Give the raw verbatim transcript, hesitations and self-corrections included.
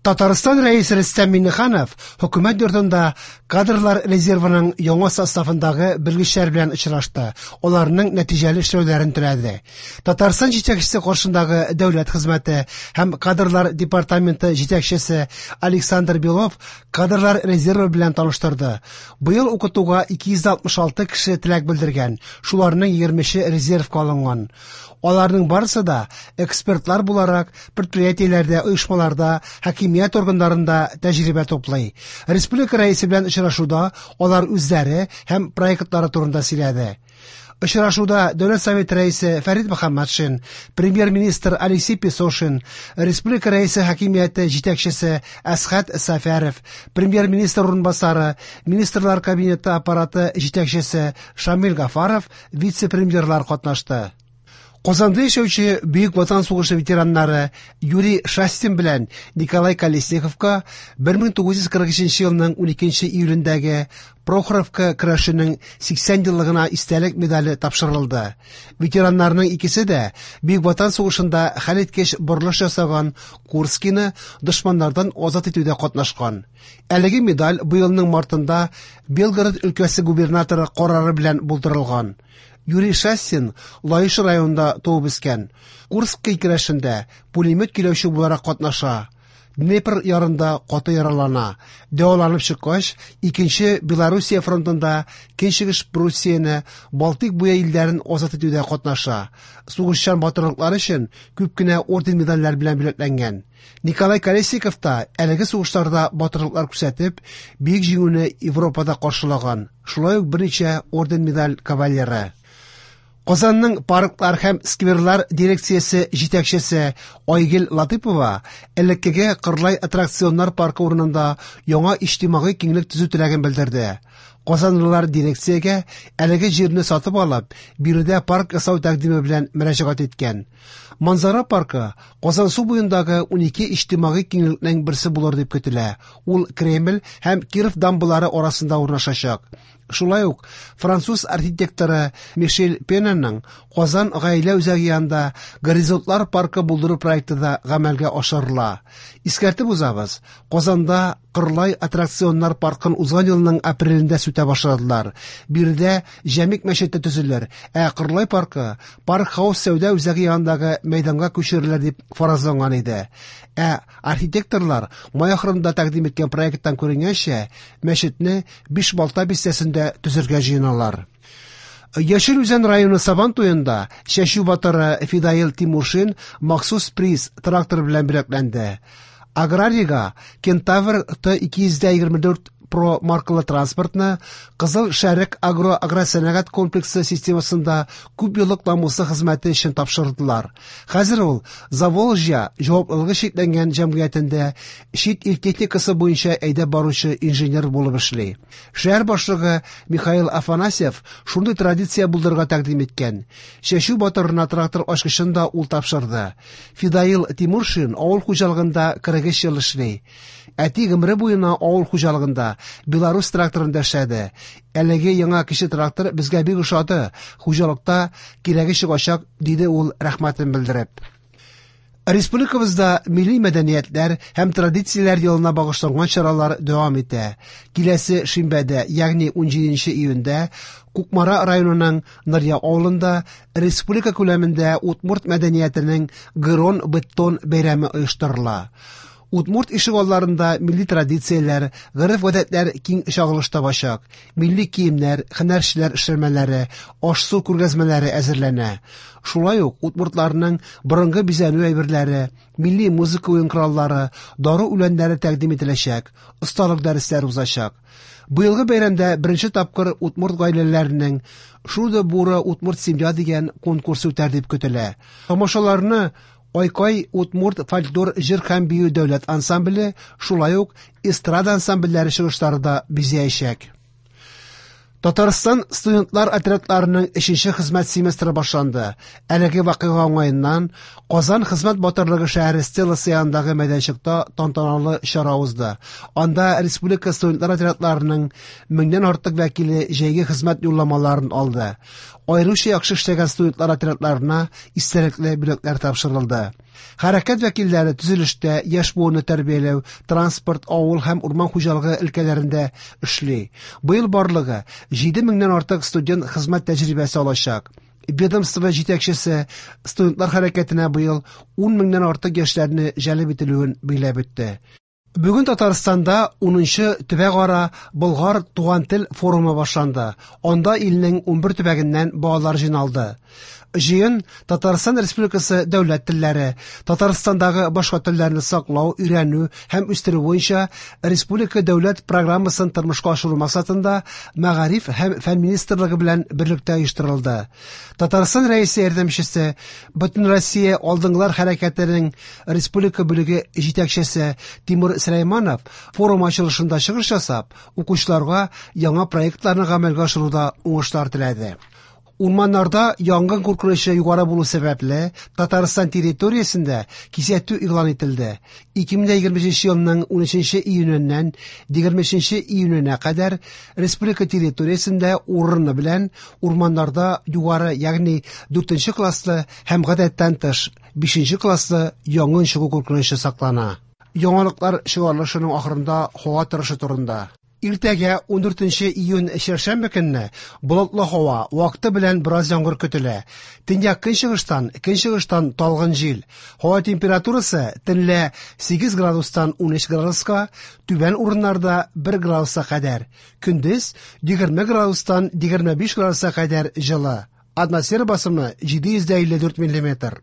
Татарстан Рәисе Рөстәм Миңнеханов хөкүмәт йортында кадрлар резервының яңа составындагы белгечләр белән очрашты. Аларның нәтиҗәле эшләүләрен теләде. Татарстан җитәкчесе каршындагы дәүләт хезмәте һәм кадрлар департаменты җитәкчесе Александр Белов кадрлар резервы белән таныштырды. Быел укытуга ике йөз алтмыш алты кеше теләк белдергән, шуларның егермесе резервка алынган. Аларның барысы да экспертлар буларак предприятиеләрдә, оешмаларда, хакимият органнарында тәҗрибә туплый. Республика рәисе белән очрашуда алар үзләре һәм проектлары турында сөйләде. Очрашуда Дәүләт Советы рәисе Фәрит Мөхәммәтшин, премьер-министр Алексей Песошин, республика рәисе хакимияте җитәкчесе Әсхәт Сәфәров, премьер-министр урынбасары, министрлар кабинеты аппараты җитәкчесе Шамил Гафаров, вице-премьерлар катнашты. Казанда яшәүче Бөек Ватан сугышы ветераннары Юрий Шастин белән Николай Колесниковка бер мең тугыз йөз кырык өченче елның уникенче июлендәге Прохоровка көрәшенең сиксән еллыгына истәлек медале тапшырылды. Ветераннарның икесе дә Бөек Ватан сугышында хәлиткеч борылыш ясаган Курскины дошманнардан азат итүдә катнашкан. Әлеге медаль быелның мартында Белгород өлкәсе губернаторы карары белән булдырылган. Юрий Шастин Лаеш районында туып үскән. Курский көрәшендә пулемет көйләүче буларак катнаша. Днепр ярында каты яралана. Дәваланып чыккач, икенче Белоруссия фронтында Көнчыгыш Пруссияне, Балтик буе илләрен азат итүдә катнаша. Сугышчан батырлыклары өчен күп кенә орден-медальләр белән бүләкләнгән. Николай Колесников та әлеге сугышларда батырлыклар күрсәтеп, Бөек Җиңүне Европада каршылаган. Шулай ук берничә орден-медаль кавалеры. Казанның парклар һәм скверлар дирекциясе җитәкчесе Айгөл Латыпова элеккеге Кырлай аттракционнар паркы урынында яңа иҗтимагый киңлек төзү теләген белдерде. Казанлылар дирекциягә әлеге җирне сатып алып, биредә парк ясау тәкъдиме белән мөрәҗәгать иткән. Манзара паркы Казансу буендагы унике иҗтимагый киңлекнең берсе булыр дип көтелә. Ул Кремль һәм Киров дамбалары арасында урнашачак. Шулай ук француз архитекторы Мишель Пенаның Казан гаилә үзәге янында Горизонтлар паркы булдыру проекты да гамәлгә ашырыла. Искәртеп узабыз, Казанда Кырлай аттракционнар паркын узган елның апрелендә сүтә башладылар. Биредә Җәмик мәчете төзелер, ә Кырлай паркы Парк Хаус сәүдә үзәге янындагы мәйданга күчерелер дип фаразланган иде. Ә архитекторлар май ахырында тәкъдим иткән проекттан күренгәнчә, мәчетне Бишбалта бистәсендә төзергә җыеналар. Яшел Үзән районы Сабан туенда чәчү батыры Фидаил Тимуршин махсус приз трактор белән бүләкләнде. Аграрийга Кентавр Т ике йөз егерме дүрт Про маркалы транспортны Кызыл Шәрык агро агросәнәгать комплексы системасында күп еллык намуслы хезмәте өчен тапшырдылар. Хәзер ул Заволжья җаваплылыгы чикләнгән җәмгыятендә чит ил техникасы буенча әйдәп баручы инженер булып эшли. Шәһәр башлыгы Михаил Афанасьев шундый традиция булдырырга тәкъдим иткән. Чәчү батырына трактор ачкычын да ул тапшырды. Фидаил Тимуршин авыл хуҗалыгында кырык өч ел эшли. Әти гомере буена авыл хуҗалыгында Беларусь тракторында эшләде. Әлеге яңа кече трактор безгә бик ошады. Хуҗалыкта кирәге чыгачак, диде ул рәхмәтен белдереп. Республикабызда милли мәдәниятләр һәм традицияләр елына багышланган чаралар дәвам итә. Киләсе шимбәдә, ягъни унҗиденче июньдә, Кукмара районының Нырья авылында республика күләмендә удмурт мәдәниятенең Гырон Быдтон бәйрәме оештырыла. Удмурт ишегалларында милли традицияләр, гореф-гадәтләр киң чагылыш табачак. Милли киемнәр, һөнәрчеләр эшләнмәләре, аш-су күргәзмәләре әзерләнә. Шулай ук удмуртларның борынгы бизәнү әйберләре, милли музыка уен кораллары, дару үләннәре тәкъдим ителәчәк, осталык дәресләре узачак. Быелгы бәйрәмдә беренче тапкыр удмурт гаиләләренең Шудо бура удмурт семья дигән конкурс үтәр дип көтелә. Тамашаларны Айкай удмурт фольклор җыр һәм бию дәүләт ансамбле, шулай ук эстрада ансамбльләре чыгышлары да бизәячәк. Татарстан студентлар отрядларының өченче хезмәт семестры башланды. Әлеге вакыйга уңаеннан Казан хезмәт батырлыгы шәһәре стеласы янындагы мәйданчыкта тантаналы чара узды. Анда республика студентлар отрядларының меңнән артык вәкиле җәйге хезмәт юлламаларын алды. Аеруча яхшы эшләгән студентлар отрядларына истәлекле бүләкләр тапшырылды. Хәрәкәт вәкилләре төзелештә, яшь буынны тәрбияләү, транспорт, авыл һәм урман хуҗалыгы өлкәләрендә эшли. Быел барлыгы җиде меңнән артык студент хезмәт тәҗрибәсе алачак. Ведомство җитәкчесе студентлар хәрәкәтенә быел ун меңнән артык яшьләрне җәлеп ителүен билгеләп үтте. Бүген Татарстанда унынчы төбәкара Болгар туган тел форумы башланды. Анда илнең унбер төбәгеннән балалар җыйналды. Җыен Татарстан Республикасы дәүләт телләре, Татарстандагы башка телләрне саклау, өйрәнү һәм үстерү буенча республика дәүләт программасын тормышка ашыру максатында Мәгариф һәм фән министрлыгы белән берлектә оештырылды. Татарстан Рәисе ярдәмчесе, Бөтенроссия алдынгылар хәрәкәтенең республика бүлеге җитәкчесе Тимур Сөләйманов форум ачылышында чыгыш ясап, укучыларга яңа проектларны гамәлгә ашыруда уңышлар теләде. Урманнарда янгын куркынычы югары булу сәбәпле, Татарстан территориясендә кисәтү игълан ителде. ике мең егерме өченче елның унөченче июненнән егерме өченче июненә кадәр республика территориясендә урыны белән урманнарда югары, ягъни дүртенче класслы һәм гадәттән тыш бишенче класслы янгын чыгу куркынычы саклана. Яңалыклар чыгарылышының ахырында һава торышы турында. Иртәгә ундүртенче июнь чәршәмбе көнне болытлы һава, вакыты белән бераз яңгыр көтелә. Төньяк көнчыгыштан, көнчыгыштан талгын җил. Һава температурасы төнлә сигез градустан унөч градуска, түбән урыннарда бер градуска кадәр. Көндез егерме градустан егерме биш градуска кадәр җылы. Атмосфера басымы җиде йөз дә илле дүрт миллиметр.